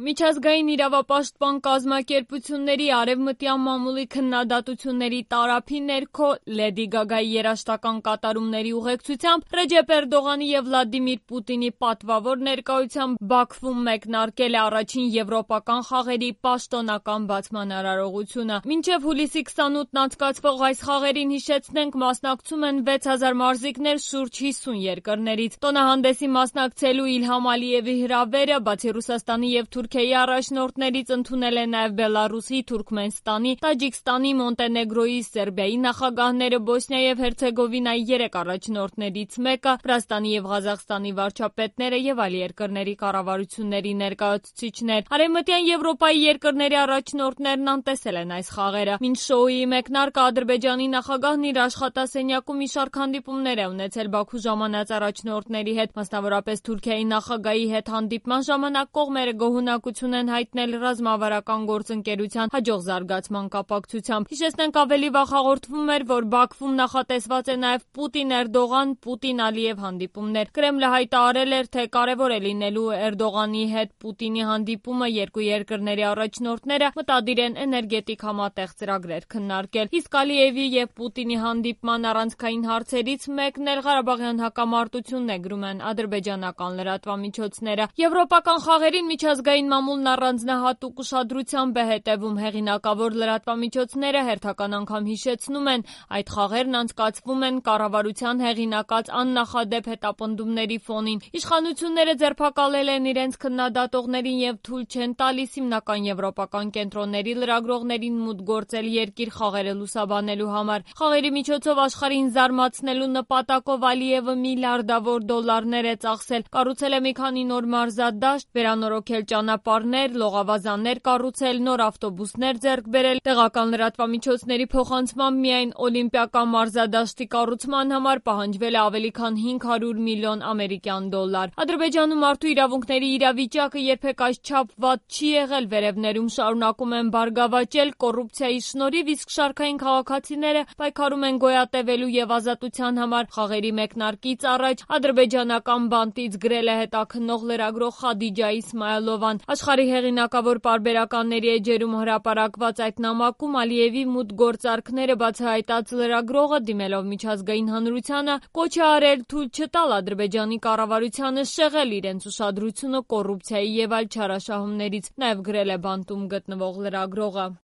Միջազգային իրավապաշտպան կազմակերպությունների արևմտյան մամուլի քննադատությունների տարափի ներքո Լեդի Գագայի երաժշտական կատարումների ուղեկցությամբ Ռեջեփ Էրդողանի եւ Վլադիմիր Պուտինի պատվավոր ներկայությամբ Բաքվում մեկնարկել է առաջին եվրոպական խաղերի պաշտոնական բացման արարողությունը։ Մինչև հուլիսի 28-ն անցկացվող այս խաղերին, հիշեցնենք, մասնակցում են 6000 մարզիկներ շուրջ 50 երկրներից։ Տոնահանդեսի մասնակցելու Իլհամ Ալիևի հրավերը, բացի Ռուսաստանի եւ Թուրքիայի առաջնորդներից, ընդունել է նաեւ Բելարուսի, Թուրքմենստանի, Տաջիկստանի, Մոնտենեգրոյի, Սերբիայի նախագահները, Բոսնիա եւ Հերցեգովինայի 3 առաջնորդներից մեկը, Վրաստանի եւ Ղազախստանի վարչապետները եւ այլ երկրների կառավարությունների ներկայացուցիչներ։ Արևմտյան Եվրոպայի երկրների առաջնորդներն անտեսել են այս խաղերը։ Մինչ շոուի մեկնարկը Ադրբեջանի նախագահն իր աշխատասենյակում մի շարք հանդիպումներ է ունեցել Բաքու ժամանած առաջնորդների հետ, մասնավորապես Թուրքիայի նախագահի հետ հանդիպման ժամանակ կողմերը գոհունակություն են հայտնել ռազմավարական գործընկերության հաջող զարգացման կապակցությամբ։ Հիշեցնենք, ավելի վաղ հաղորդվում էր, որ Բաքվում նախատեսված է նաև Պուտին-Էրդողան, Պուտին-Ալիև հանդիպումներ։ Կրեմլը հայտարարել էր, թե կարևոր է լինելու Էրդողանի հետ Պուտինի հանդիպումը, երկու երկրների առաջնորդները մտադիր են էներգետիկ համատեղ ծրագրեր քննարկել։ Իսկ Ալիևի եւ Պուտինի հանդիպման առանցքային հարցերից մեկն էլ Ղարաբաղյան հակամարտությունն է, գրում են ադրբեջանական լրատվամիջոցները։ Եվրոպական խաղերին միջազգային մամուլն առանձնահատուկ ուշադրությամբ է հետևում։ Հեղինակավոր լրատվամիջոցները հերթական անգամ հիշեցնում են, այդ խաղերն անցկացվում են կառավարության հեղինակած աննախադեպ հետապնդումների ֆոնին։ Իշխանությունները ձերբակալել են իրենց քննադատողներին եւ թույլ չեն տալիս հիմնական եվրոպական կենտրոնների լրագրողներին մուտք գործել երկիր խաղերը լուսաբանելու համար։ Խաղերի միջոցով աշխարհին զարմացնելու նպատակով Ալիևը միլիարդավոր դոլարներ է ծախսել, կառուցել է մի քանի նոր մարզադաշտ, վերանորոգել ճանապարհներ, լողավազաններ կառուցել, նոր ավտոբուսներ ձեռք բերել։ Տեղական լրատվամիջոցների փոխանցմամբ միայն օլիմպիական մարզադաշտի կառուցման համար պահանջվել է ավելի քան 500 միլիոն ամերիկյան դոլար։ Ադրբեջանում մարդու իրավունքների իրավիճակը երբեք այսչափ վատ չի եղել, վերևներում շարունակում են բարգավաճել կոռուպցիայի շնորհիվ, իսկ շարքային քաղաքացիները պայքարում են գոյատևելու եւ ազատության համար։ Խաղերի մեկնարկից առաջ ադրբեջանական բանտից գրել է հետաքննող լրագրող Խադիջա Իսմայելովան։ Աշխարհի հեղինակավոր պարբերականների էջերում հրապարակված այդ նամակում Ալիևի մուտքգործարքները բացահայտած լրագրողը, դիմելով միջազգային հանրությանը, կոչ է արել թույլ չտալ Ադրբեջանի կառավարությանը շեղել իրենց ուշադրությունը կոռուպցիայի եւ այլ չարաշահումներից, նաեւ գրել է բանտում գտնվող լրագրողը։